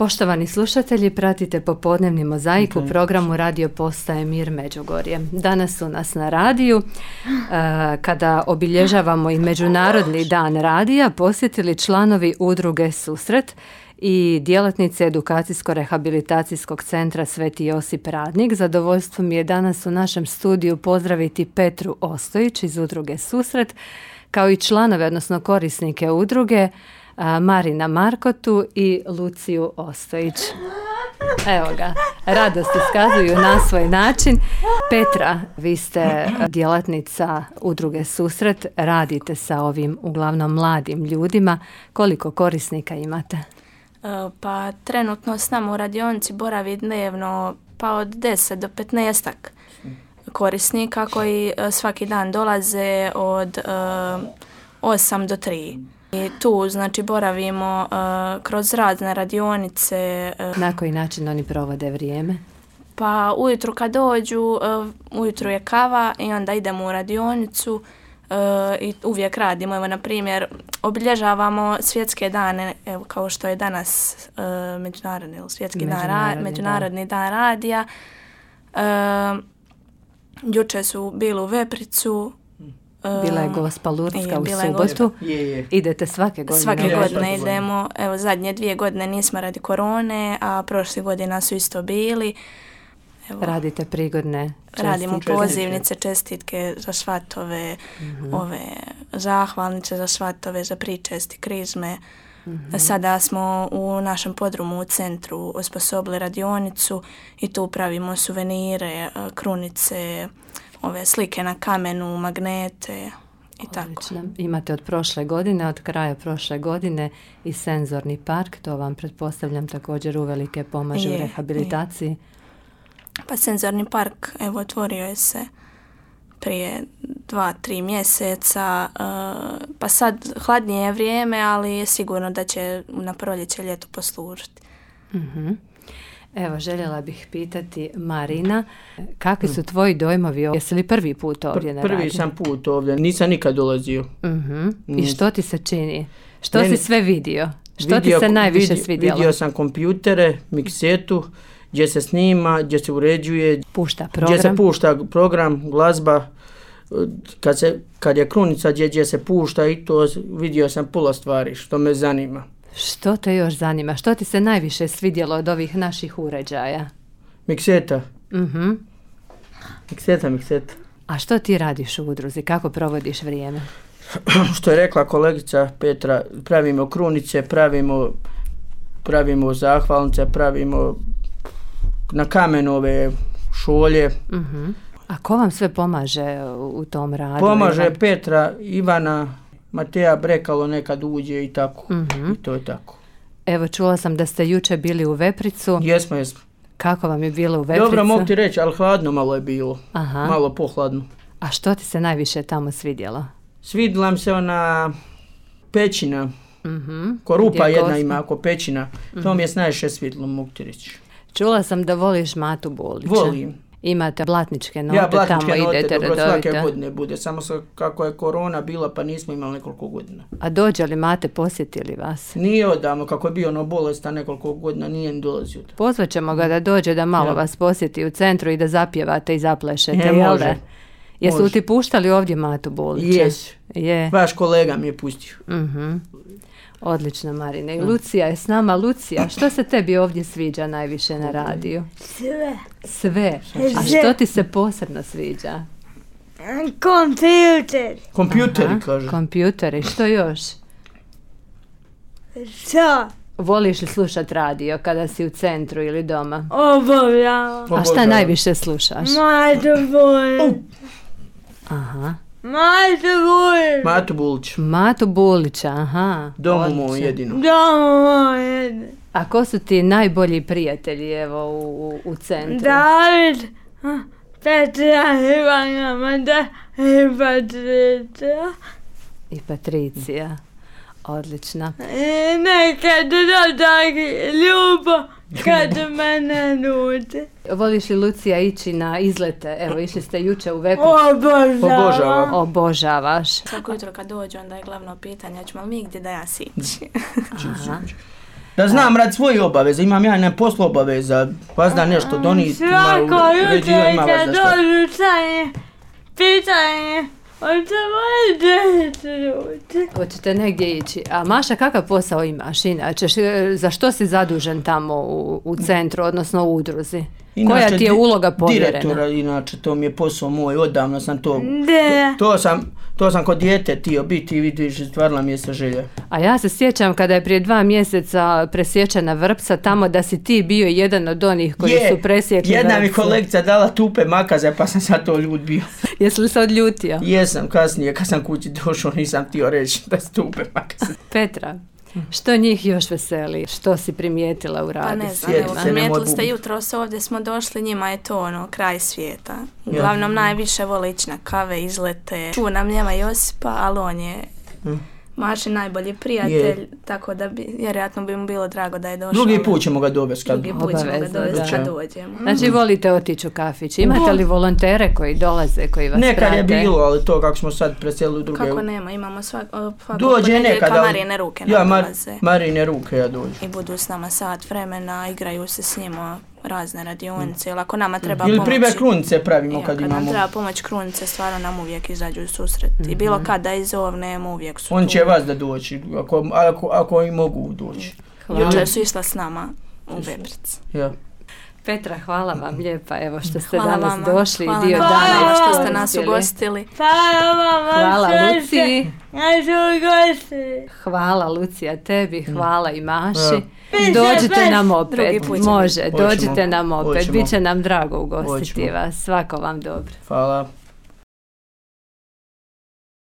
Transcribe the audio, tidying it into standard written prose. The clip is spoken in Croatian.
Poštovani slušatelji, pratite popodnevni mozaik u programu Radio Postaje Mir Međugorje. Danas su nas na radiju, kada obilježavamo i Međunarodni dan radija, posjetili članovi udruge Susret i djelatnice Edukacijsko-rehabilitacijskog centra Sveti Josip Radnik. Zadovoljstvo mi je danas u našem studiju pozdraviti Petru Ostojić iz udruge Susret, kao i članove, odnosno korisnike udruge, Marina Markotu i Luciju Ostojić. Evo ga, radost iskazuju na svoj način. Petra, vi ste djelatnica udruge Susret, radite sa ovim uglavnom mladim ljudima. Koliko korisnika imate? Pa trenutno s nama u radionici boravi dnevno pa od 10 do 15 korisnika koji svaki dan dolaze od 8 do 3. I tu znači boravimo kroz razne radionice. Na koji način oni provode vrijeme? Pa ujutru kad dođu, ujutru je kava i onda idemo u radionicu i uvijek radimo. Evo, na primjer, obilježavamo svjetske dane, evo, kao što je danas Međunarodni dan radija. Juče su bili u Vepricu. Bila je Gospa Lurdska u subotu. Idete svake godine? Svake godine idemo. Evo, zadnje 2 godine nismo radi korone, a prošle godina su isto bili. Evo, radite prigodne čestitke? Radimo pozivnice, čestitke za švatove, ove zahvalnice za švatove, za pričesti, krizme. Sada smo u našem podrumu u centru osposobili radionicu i tu pravimo suvenire, krunice, ove slike na kamenu, magnete i tako. Imate od prošle godine, od kraja prošle godine i senzorni park, to vam pretpostavljam također uvelike pomaže u rehabilitaciji. Pa senzorni park, evo, otvorio je se prije 2-3 mjeseca, pa sad hladnije je vrijeme, ali je sigurno da će na proljeće, ljeto poslužiti. Evo, željela bih pitati Marina, kakvi su tvoji dojmovi? Jesi li prvi put ovdje na radiju? Prvi sam put ovdje, nisam nikad dolazio. I što ti se čini? Što si sve vidio? Što ti se najviše svidjelo? Vidio sam kompjutere, miksetu, gdje se snima, gdje se uređuje, gdje se pušta program, glazba, kad je krunica gdje se pušta, i to vidio sam puno stvari što me zanima. Što te još zanima? Što ti se najviše svidjelo od ovih naših uređaja? Mikseta. Mikseta. A što ti radiš u udruzi? Kako provodiš vrijeme? Što je rekla kolegica Petra, pravimo krunice, pravimo zahvalnice, pravimo na kamenove šolje. A ko vam sve pomaže u tom radu? Pomaže Petra, Ivana, Mateja Brekalo nekad uđe i tako. I to je tako. Evo, čula sam da ste juče bili u Vepricu. Jesmo. Kako vam je bilo u Vepricu? Dobro, mogu ti reći, ali hladno malo je bilo. Malo pohladno. A što ti se najviše tamo svidjelo? Svidjela mi se ona pećina. Korupa jedna ima oko pećina. To mi je najviše svidjelo, mogu ti reći. Čula sam da voliš Matu Bulića. Volim. Imate blatničke note, tamo idete redovito. Svake godine bude, samo kako je korona bila pa nismo imali nekoliko godina. A dođe li Mate, posjetili vas? Nije odavno, kako je bio bolestan nekoliko godina, nije ni dolazio. Pozvat ćemo ga da dođe da malo vas posjeti u centru i da zapjevate i zaplešete, jel da? Jesu ti puštali ovdje Matu Bulića? Je. Vaš kolega mi je pustio. Odlično, Marine. I Lucija je s nama. Lucija, što se tebi ovdje sviđa najviše na radiju? Sve. A što ti se posebno sviđa? Kompjuteri, kaže. Kompjuteri, što još? Što? Voliš li slušat radio kada si u centru ili doma? Obavljam. A šta najviše slušaš? Matu Bulića, aha. Domu moj jedino. A ko su ti najbolji prijatelji, evo, u centru? David, Petra, Ivana, Mada i Patricija. I Patricija. Odlično. Nekad tako ljubo kad mene ljude. Voliš li, Lucija, ići na izlete? Evo, išli ste juče u Vepricu. Obožavaš. Svako jutro kad dođu, onda je glavno pitanje, ćemo mi gdje da ja sići. Da znam rad svoje obaveze, imam ja na poslu obaveza, vas da nešto doniti. Svako jutro kad dođu sanje, pitanje, hoćete negdje ići. A Maša, kakav posao imaš inače? Za što si zadužen tamo u centru, odnosno u udruzi? Koja ti je uloga povjerena? Direktora, inače, to mi je posao moj, odavno sam to... To sam kod dijete tio biti i vidiš, stvarila mi je sa želja. A ja se sjećam kada je prije 2 mjeseca presječena vrpca tamo da si ti bio jedan od onih koji su presjekli vrpcu. Jedna mi kolegica dala tupe makaze pa sam sad to ljut bio. Jesi li se odljutio? Jesam, kasnije kad sam kući došao nisam htio reći da su tupe makaze. Petra, što njih još veseli? Što si primijetila u radu? Pa ne znam, primijetili ste jutros ovdje smo došli, njima je to kraj svijeta. Uglavnom najviše vole ići na kave, izlete. Ču nam njema Josipa, ali on je Maši najbolji prijatelj, tako da vjerojatno bi mu bilo drago da je došao. Drugi put ćemo ga dovesti kad dođemo. Znači volite otići u kafić. Imate li volontere koji dolaze, koji vas prate? Nekad je bilo, ali to kako smo sad preselili u druge... Kako nema, imamo dođe nekada. Marine ruke nam dolaze. Marine ruke ja dođu. I budu s nama sat vremena, igraju se s njima razne radionice, ili ako nama treba pomoći. Ili primjer krunice pravimo kad imamo. Kad nam treba pomoć krunice, stvarno nam uvijek izađu u susret. I bilo kada izovnemo, uvijek su on će vas da doći, ako i mogu doći. Jučer su išla s nama u Veprici. Ja. Petra, hvala vam lijepa, evo što ste danas došli i dio dana. Hvala što ste nas ugostili. Hvala Luci. Hvala Lucija tebi, hvala i Maši. Dođite nam opet, dođite nam opet, bit će nam drago ugostiti vas, svako vam dobro. Hvala.